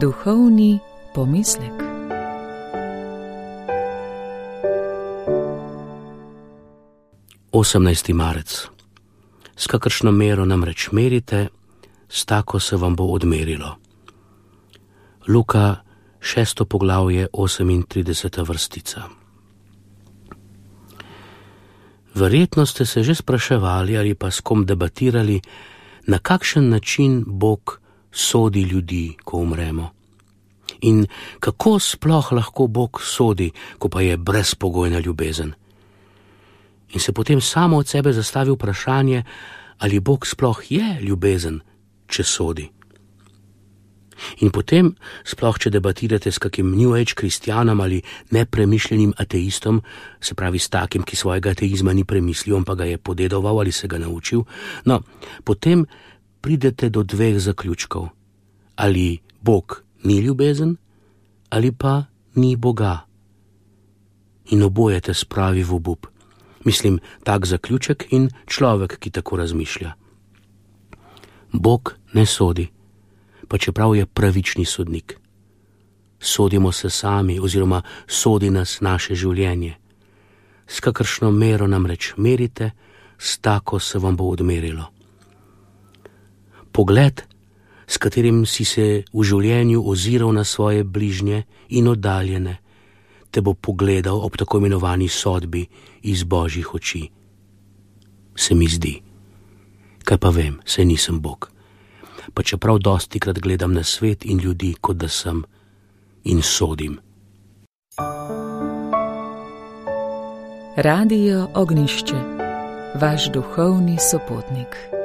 Duhovni pomislek. Osemnajsti marec. S kakršno mero namreč merite, s tako se vam bo odmerilo. Luka, 6. poglavje, 38. vrstica. Verjetno ste se že spraševali ali pa s kom debatirali, na kakšen način Bog sodi ljudi, ko umremo. In kako sploh lahko Bog sodi, ko pa je brezpogojna ljubezen. In se potem samo od sebe zastavi vprašanje, ali Bog sploh je ljubezen, če sodi. In potem, sploh če debatirate s kakim New Age kristjanom ali nepremišljenim ateistom, se pravi s takim, ki svojega ateizma ni premislil, pa ga je podedoval ali se ga naučil, no, potem pridete do dveh zaključkov. Ali Bog ni ljubezen, ali pa ni Boga. In oboje te spravi v obup. Mislim, tak zaključek in človek, ki tako razmišlja. Bog ne sodi, pa čeprav je pravični sodnik. Sodimo se sami oziroma sodi nas naše življenje. S kakršno mero namreč merite, s tako se vam bo odmerilo. Pogled, s katerim si se v življenju oziral na svoje bližnje in oddaljene, te bo pogledal ob tako imenovani sodbi iz Božjih oči. Se mi zdi. Kaj pa vem, saj nisem Bog. Pa čeprav dostikrat gledam na svet in ljudi, kot da sem, in sodim. Radio Ognjišče, vaš duhovni sopotnik.